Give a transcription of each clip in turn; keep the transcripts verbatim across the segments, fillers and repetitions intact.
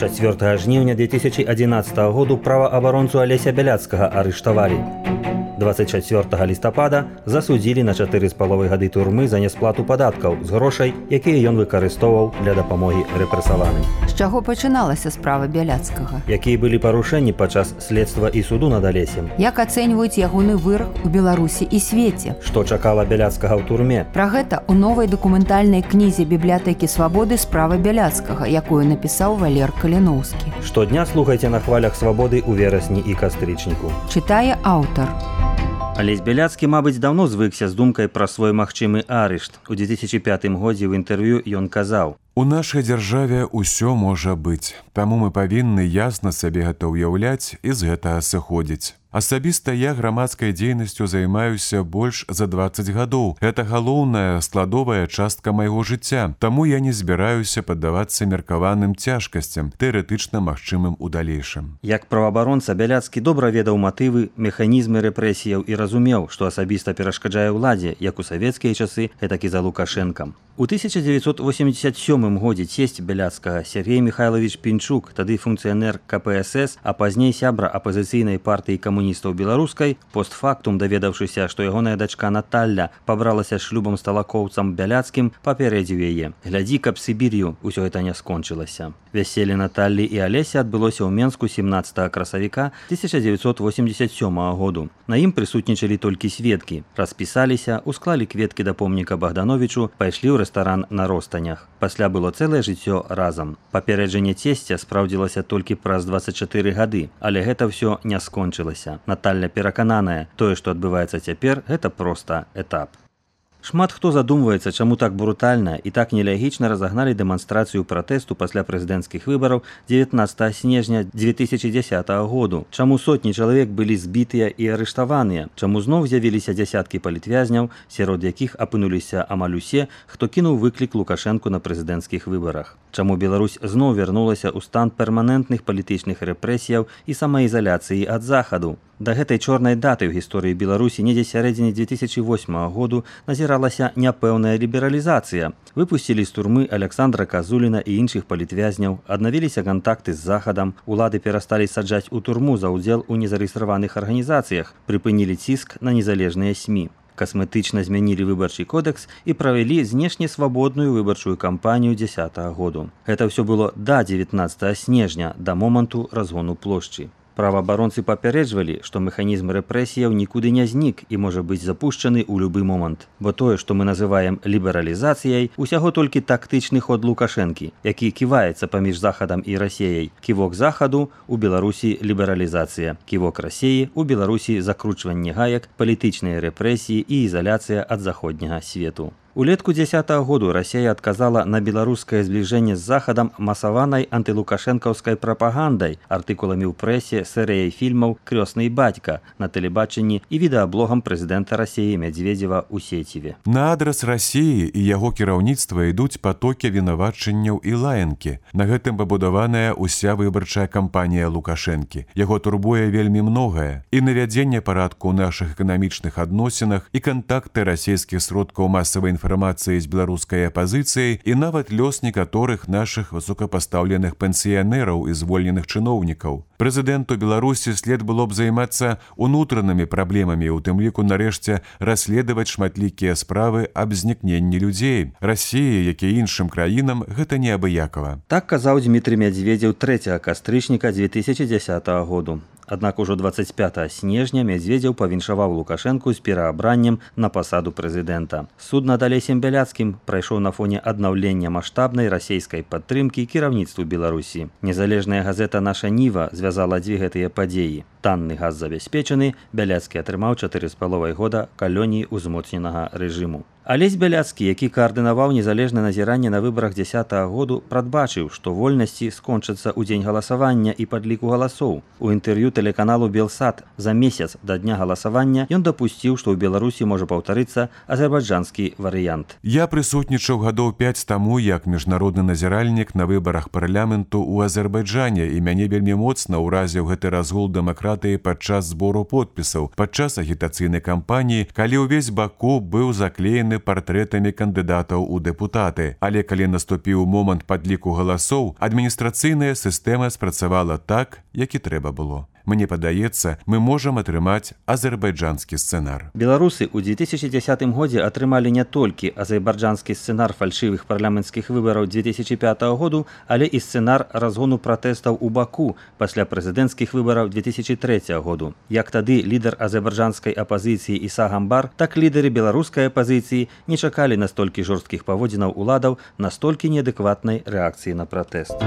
чацвёртага жніўня две тысячи одиннадцатого году праваабаронцу Алеся Бяляцкага арыштавалі. двадцать чацвёртага лістапада засудзілі на чатыры з паловай гады турмы за нясплату падаткаў з грошай, якія ён выкарыстоўваў для дапамогі рэпрэсаваным. З чаго пачыналася справа Бяляцкага? Якія былі парушэнні падчас следства і суду над Алесем? Як ацэньваюць ягоны вырак у Беларусі і свеце? Што чакала Бяляцкага ў турме? Пра гэта ў новай дакументальнай кнізе бібліятэкі свабоды справа Бяляцкага, якую напісаў Валер Каліноўскі. Штодня слухайце на хвалях свабоды ў верасні і кастрычніку. Чытае аўтар. Алесь Бяляцкі, мабыць, даўно звыкся з думкай пра свой магчымы арышт. У две тысячи пятым годзе ў інтэрв'ю ён казаў: «У нашай дзяржаве ўсё можа быць, таму мы павінны ясна сабе гэта ўяўляць і з гэтага сыходзіць. Асабіста я грамадскай дзейнасцю займаюся больш за дваццаць гадоў. Гэта галоўная складовая частка майго жыцця, таму я не збіраюся паддавацца меркаваным цяжкасцям, тэарэтычна магчымым у далейшым». Як праваабаронца Бяляцкі добра ведаў матывы, механізмы рэпрэсіяў і разумеў, што асабіста перашкаджае ўладзе, як у савецкія часы, гэтак і за Лукашэнкам. У тысяча дзевяцьсот восемьдесят сёмым годзе цесць Бяляцкага Сергей Михайлович Пінчук, тады функцыянер ка пэ эс эс, а пазней сябра апазіцыйнай партыі камуністаў беларускай, постфактум даведаўшыся, што ягоная дачка Наталля пабралася шлюбам з талакоўцам Бяляцкім, папярэдзіў яе: «Глядзі, каб Сібір'ю ўсё гэта не скончылася». Вяселле Наталлі і Алеся адбылося ў Менску семнаццатага красавіка тысяча дзевяцьсот восемьдесят сёмага году. На ім прысутнічалі толькі сведкі. Распісаліся, усклалі кветкі да помніка Богдановичу, пайшлі ў рэстаран на Ростанях. Пасля было цэлае жыццё разам. Папереджанне цесця спраўдзілася толькі праз дваццаць чатыры гады, але гэта ўсё не скончылася. Наталля перакананая, тое, што адбываецца цяпер, гэта проста этап. Шмат хто задумваецца, чаму так брутальна і так нелягічна разагналі дэманстрацыю пратэсту пасля прэзідэнцкіх выбараў дзевятнаццатага снежня две тысячи дзесятага году. Чаму сотні чалавек былі збітыя і арыштаваныя? Чаму зноў з'явіліся дзясяткі палітвязняў, сярод якіх апынуліся амаль усе, хто кінуў выклік Лукашэнку на прэзідэнцкіх выбарах? Чаму Беларусь зноў вярнулася ў стан перманентных палітычных рэпрэсіяў і самаізаляцыі ад захаду? Да гэтай чорнай даты ў гісторыі Беларусі недзе сярэдзіне две тысячи восьмага году назіралася няпэўная лібералізацыя. Выпусцілі з турмы Александра Казуліна і іншых палітвязняў, аднавіліся кантакты з захадам, улады перасталі саджаць у турму за ўдзел у незарэгістраваных арганізацыях, прыпынілі ціск на незалежныя СМІ. Касметычна змянілі выбарчы кодэкс і правялі знешне свабодную выбарчую кампанію дзесятага году. Гэта ўсё было да дзевятнаццатага снежня, да моманту разгону плошчы. Праваабаронцы папярэджвалі, што механізм рэпрэсіяў нікуды не знік і можа быць запушчаны ў любы момант. Бо тое, што мы называем лібералізацыяй, усяго толькі тактычны ход Лукашэнкі, які ківаецца паміж захадам і Расіяй. Ківок захаду – у Беларусі лібералізацыя, ківок Расіі – у Беларусі закручванне гаек, палітычныя рэпрэсіі і ізаляцыя ад заходняга свету. Улетку дзесятага году Расія адказала на беларускае збліжэнне з захадам масаванай антылукашэнкаўскай прапагандай, артыкуламі ў прэсе, серыяй фільмаў «Крёсны бацька» на тэлебачанні і відэаблогам прэзідэнта Расіі Мядзведзева ў сеціве. На адрас Расіі і яго кіраўніцтва ідуць патокі вінавачанняў і лаянкі. На гэтым пабудаваная ўся выбарчая кампанія Лукашэнкі. Яго турбуе вельмі многае. І навядзенне парадку ў нашых эканамічных адносінах, і кантакты расійскіх сродкаў масавай інфармацыі інфармацыі з беларускай апазіцыяй і нават лёс некаторых нашых высокапастаўленых пенсіянераў і звольненых чыноўнікаў. Прэзідэнту Беларусі след было б займацца унутранымі праблемамі, у тым ліку нарэшце расследаваць шматлікія справы аб знікненні людзей. Расіі, як і іншым краінам, гэта неабыякава. Так казаў Дмітрый Мядзведзеў трэцяга кастрычніка две тысячи дзесятага году. Аднак ужо дваццаць пятага снежня Мядзведзеў павіншаваў Лукашэнку з пераабраннем на пасаду прэзідэнта. Суд над Алесем Бяляцкім прайшоў на фоне аднаўлення маштабнай расійскай падтрымкі кіраўніцтву Беларусі. Незалежная газета «Наша Ніва» звязала дзве гэтыя падзеі. Танны газ забяспечаны, Бяляцкі атрымаў чатыры з паловай года калоніі ўзмоцненага рэжыму. Алесь Бяляцкі, які каардынаваў незалежнае назіранне на выбарах дзесятага году, прадбачыў, што вольнасці скончацца ў дзень галасавання і падліку галасоў. У інтэрв'ю тэлеканалу «Белсат» за месяц да дня галасавання ён дапусціў, што ў Беларусі можа паўтарыцца азербайджанскі варыянт. Я прысутнічаў гадоў пяць таму як міжнародны назіральнік на выбарах парламенту ў Азербайджане, і мяне вельмі моцна ўразіў гэты разгул дэмакратыі дэмакратыі падчас збору подпісаў, падчас агітацыйнай кампаніі, калі ўвесь Баку быў заклеены партрэтамі кандыдатаў у дэпутаты. Але калі наступіў момант падліку галасоў, адміністрацыйная сістэма спрацавала так, як і трэба было. Мне падаецца, мы можам атрымаць азербайджанскі сцэнар. Беларусы ў две тысячи дзесятым годзе атрымалі не толькі азербайджанскі сцэнар фальшывых парламенцкіх выбараў две тысячи пятого году, але і сцэнар разгону пратэстаў у Баку пасля прэзідэнцкіх выбараў две тысячи трэцяга году. Як тады лідар азербайджанскай апазіцыі Іса Гамбар, так лідары беларускай апазіцыі не чакалі настолькі жорсткіх паводзінаў уладаў, настолькі неадэкватнай рэакцыі на пратэст.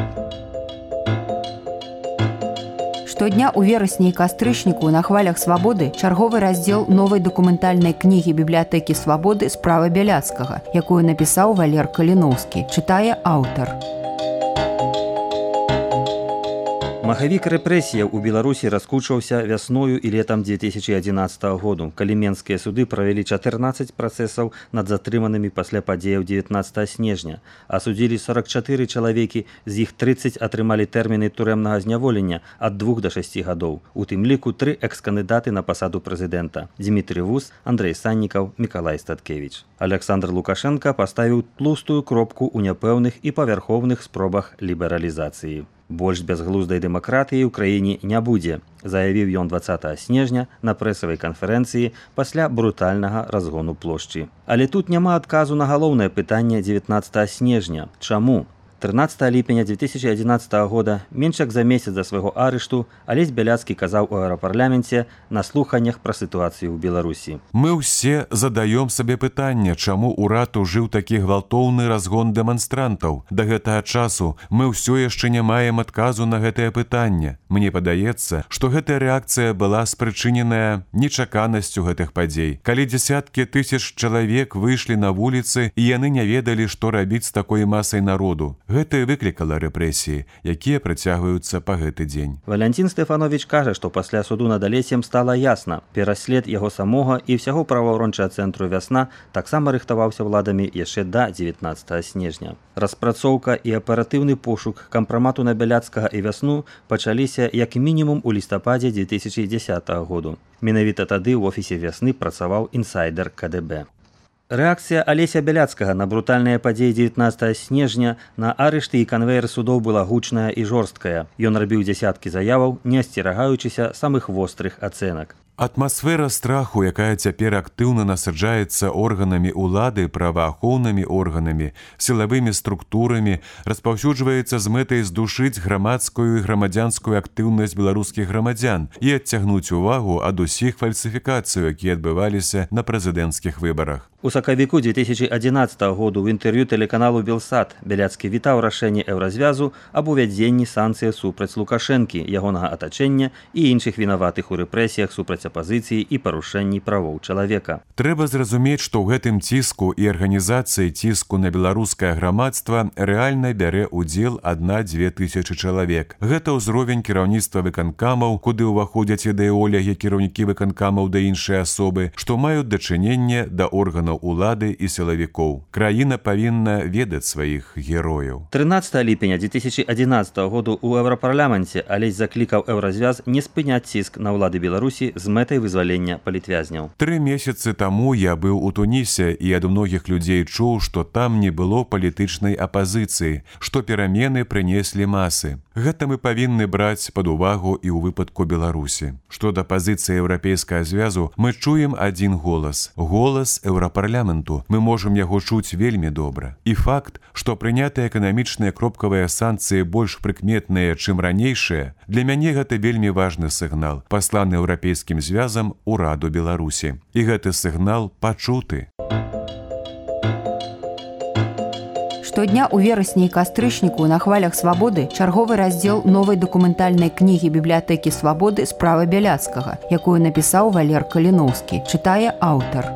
Штодня ў верасні і кастрычніку на хвалях свабоды чарговы раздзел новай дакументальнай кнігі бібліятэкі свабоды «Справа Бяляцкага», якую напісаў Валер Каліноўскі, чытае аўтар. Махавік рэпрэсіяў у Беларусі раскучваўся вясною і летам две тысячи адзінаццатага году, калі менскія суды правялі чатырнаццаць працэсаў над затрыманымі пасля падзеяў дзевятнаццатага снежня, асудзілі сорок чатыры чалавекі, з іх трыццаць атрымалі тэрміны турэмнага зняволення ад двух да шасці гадоў. У тым ліку тры экс-кандыдаты на пасаду прэзідэнта – Дзімітрый Вус, Андрэй Саннікаў, Мікалай Статкевіч. Александр Лукашенко паставіў тлустую кропку ў няпэўных і павярхоўных спробах лібералізацыі. Больш бязглуздай дэмакратыі ў краіне не будзе, заявіў ён дваццатага снежня на прэсавай канферэнцыі пасля брутальнага разгону плошчы. Але тут няма адказу на галоўнае пытанне дзевятнаццатага снежня. Чаму? трынаццатага ліпеня две тысячи адзінаццатага года, менш як за месяц да свайго арышту, Алесь Бяляцкі казаў у еўрапарламенце на слуханнях пра сітуацыю ў Беларусі. Мы ўсе задаём сабе пытанне, чаму ўрад ужыў такі гвалтоўны разгон дэманстрантаў. Да гэтага часу мы ўсё яшчэ не маем адказу на гэтае пытанне. Мне падаецца, што гэтая рэакцыя была спрычыненая нечаканасцю гэтых падзей. Калі дзесяткі тысяч чалавек выйшлі на вуліцы, і яны не ведалі, што рабіць з такой масай народу. Гэта і выклікала рэпрэсіі, якія працягваюцца па гэты дзень. Валянцін Стэфанович кажа, што пасля суду над Алесем стала ясна. Пераслед яго самога і ўсяго праваабарончага цэнтру «Вясна» таксама рыхтаваўся ўладамі яшчэ да дзевятнаццатага снежня. Распрацоўка і аператыўны пошук кампрамату на Бяляцкага і «Вясну» пачаліся як мінімум у лістападзе две тысячи дзесятага году. Менавіта тады ў офісе «Вясны» працаваў інсайдер ка дэ бэ. Рэакцыя Алеся Бяляцкага на брутальныя падзеі дзевятнаццатага снежня на арышты і канвейер судоў была гучная і жорсткая. Ён рабіў дзясяткі заяваў, не асцерагаючыся самых вострых ацэнак. Атмасфера страху, якая цяпер актыўна насаджаецца органамі улады, праваахоўнымі органамі, сілавымі структурамі, распаўсюджваецца з мэтай здушыць грамадскую і грамадзянскую актыўнасць беларускіх грамадзян і адцягнуць увагу ад усіх фальсіфікацый, якія адбываліся на прэзідэнцкіх выбарах. У сакавіку две тысячи адзінаццатага году ў інтэрв'ю тэлеканалу «Белсат» Бяляцкі вітаў рашэнне Еўразвязу аб увядзенні санкцый супраць Лукашэнкі, ягонага атачэння і іншых вінаватых у рэпрэсіях супраць апазіцыі і парушэнні правоў чалавека. Трэба зразумець, што ў гэтым ціску і арганізацыі ціску на беларускае грамадства рэальна бярэ ўдзел адна-дзве тысячы чалавек. Гэта ўзровень кіраўніцтва выканкамаў, куды ўваходзяць ідэолягі кіраўнікі выканкамаў да іншыя асобы, што маюць дачыненне да органаў улады і сілавікоў. Краіна павінна ведаць сваіх герояў. трынаццатага ліпеня две тысячи адзінаццатага году ў еўрапарламенце Алесь заклікаў Еўразвяз не спыняць ціск на ўлады Беларусі з мэтай вызвалення палітвязняў. Тры месяцы таму я быў у Тунісе і ад многіх людзей чуў, што там не было палітычнай апазіцыі, што перамены прынеслі масы. Гэта мы павінны браць пад увагу і ў выпадку Беларусі. Што да пазіцыі Еўрапейскага звязу, мы чуем адзін голас. Голас еўрапарламенту. Мы можам яго чуць вельмі добра. І факт, што прынятыя эканамічныя кропкавыя санкцыі больш прыкметныя, чым ранейшыя, для мяне гэта вельмі важны сігнал, пасланы Еўрапейскім звязам ураду Беларусі. І гэты сігнал пачуты. Штодня ў верасні і кастрычніку на хвалях свабоды чарговы раздзел новай дакументальнай кнігі бібліятэкі свабоды «Справа Бяляцкага», якую напісаў Валер Каліноўскі, чытае аўтар.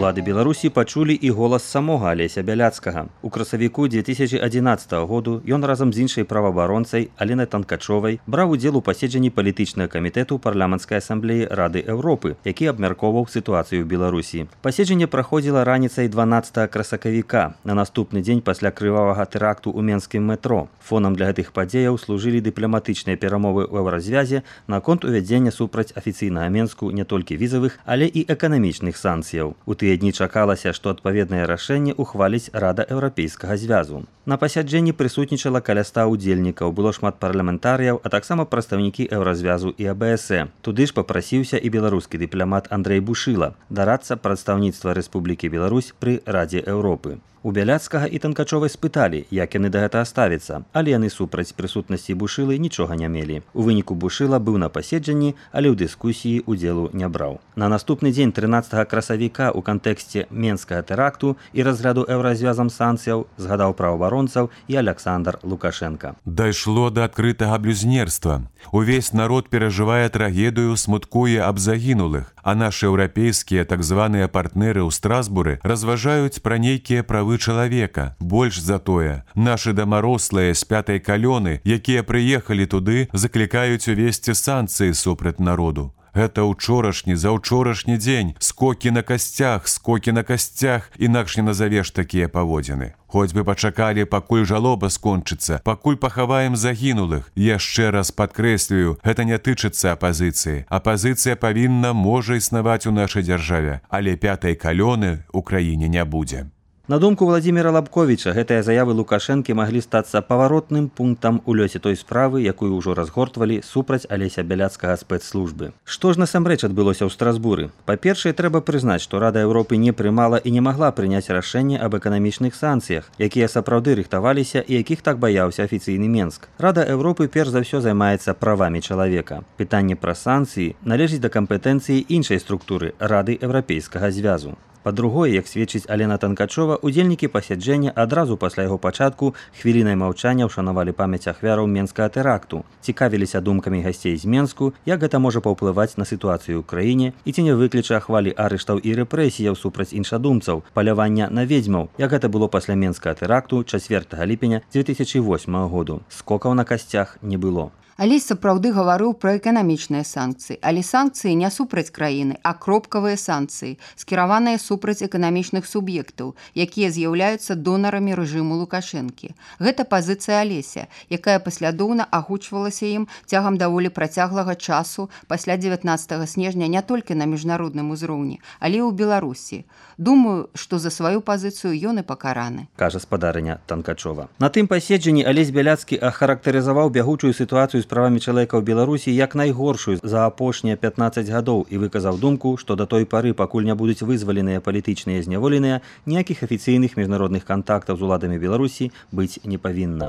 Улады Беларусі пачулі і голас самога Алеся Бяляцкага. У красавіку две тысячи одиннадцатого году ён разам з іншай праваабаронцай Аленай Танкачовай браў удзел у паседжанні палітычнага камітэту парламенцкай асамблеі Рады Еўропы, які абмяркоўваў сітуацыю ў Беларусі. Паседжанне праходзіла раніцай дванаццатага красавіка, на наступны дзень пасля крывавага тэракту ў менскім метро. Фонам для гэтых падзеяў служылі дыпламатычныя перамовы ў еўразвязе наконт увядзення супраць афіцыйнага Менску не толькі візавых, але і эканамічных санкцыяў. У тыя дні чакалася, што адпаведнае рашэнне ухваліць Рада Еўрапейскага звязу. На пасяджэнні прысутнічала каля ста удзельнікаў, было шмат парламентарыяў, а таксама прадстаўнікі еўразвязу і А Бэ Эс Э. Туды ж папрасіўся і беларускі дыпламат Андрэй Бушыла, дарадца прадстаўніцтва Рэспублікі Беларусь пры Радзе Еўропы. У Бяляцкага і Танкачовай спыталі, як яны да гэтага ставяцца, але яны супраць прысутнасці Бушылы нічога не мелі. У выніку Бушыла быў на паседжанні, але ў дыскусіі удзелу не браў. На наступны дзень трынаццатага красавіка ў кантэксце менскага тэракту і разгляду еўразвязам санкцыяў згадаў праваабаронцаў і Аляксандр Лукашенка. Дайшло да адкрытага блюзнерства. Увесь народ перажывае трагедыю, смуткуе аб загінулых, а нашы еўрапейскія так званыя партнеры ў Страсбуры разважаюць пра нейкія правы чалавека. Больш за тое, нашы дамарослыя з пятай калёны, якія прыехалі туды, заклікаюць увесці санкцыі супраць народу. Гэта ўчорашні, заўчорашні дзень, скокі на касцях, скокі на касцях, інакш не назавеш такія паводзіны. Хоць бы пачакалі, пакуль жалоба скончыцца, пакуль пахаваем загінулых. Яшчэ раз падкрэслюю, гэта не тычыцца апазіцыі. Апазіцыя павінна, можа існаваць у нашай дзяржаве, але пятай калёны ў краіне не будзе. На думку Владзіміра Лабковіча, гэтыя заявы Лукашэнкі маглі стацца паваротным пунктам у лёсе той справы, якую ўжо разгортвалі супраць Алеся Бяляцкага спецслужбы. Што ж насамрэч адбылося ў Страсбуры? Па-першае, трэба прызнаць, што Рада Еўропы не прымала і не магла прыняць рашэнне аб эканамічных санкцыях, якія сапраўды рыхтаваліся і якіх так баяўся афіцыйны Менск. Рада Еўропы перш за ўсё займаецца правамі чалавека. Пытанне пра санкцыі належыць да кампетэнцыі іншай структуры Рады Еўрапейскага звязу. Па-другое, як сведчыць Алена Танкачова, удзельнікі пасяджэння адразу пасля яго пачатку хвілінай маўчання ўшанавалі памяць ахвяраў менскага тэракту, цікавіліся думкамі гасцей з Менску, як гэта можа паўплываць на сітуацыю ў краіне і ці не выкліча хвалі арыштаў і рэпрэсіяў супраць іншадумцаў, палявання на ведзьмаў, як гэта было пасля менскага тэракту чацвёртага ліпеня две тысячи восьмага году. Скокаў на касцях не было. Алесь сапраўды гаварыў пра эканамічныя санкцыі, але санкцыі не супраць краіны, а кропкавыя санкцыі, скіраваныя супраць эканамічных суб'ектаў, якія з'яўляюцца донарамі рэжыму Лукашэнкі. Гэта пазіцыя Алеся, якая паслядоўна агучвалася ім цягам даволі працяглага часу пасля дзевятнаццатага снежня не толькі на міжнародным узроўні, але і ў Беларусі. Думаю, што за сваю пазіцыю ён і пакараны, кажа спадарыня Танкачова. На тым паседжанні Алесь Бяляцкі ахарактарызаваў бягучую сітуацыю з правамі чалавека ў Беларусі як найгоршую за апошнія пятнаццаць гадоў і выказаў думку, што да той пары, пакуль не будуць вызваленыя палітычныя зняволеныя, ніякіх афіцыйных міжнародных кантактаў з уладамі Беларусі быць не павінна.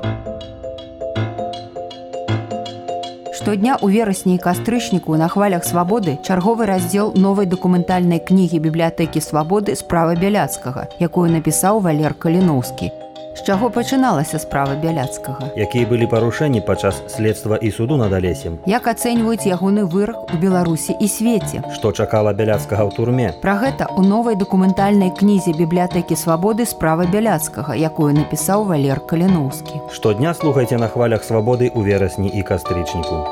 Штодня ў верасні і кастрычніку на хвалях свабоды чарговы раздзел новай дакументальнай кнігі бібліятэкі свабоды «Справа Бяляцкага», якую напісаў Валер Каліноўскі. З чаго пачыналася справа Бяляцкага? Якія былі парушэнні падчас следства і суду над Алесем? Як ацэньваюць ягоны вырак у Беларусі і свеце? Што чакала Бяляцкага ў турме? Пра гэта ў новай дакументальнай кнізе бібліятэкі свабоды «Справа Бяляцкага», якую напісаў Валер Каліноўскі. Штодня слухайце на хвалях свабоды ў верасні і кастрычніку.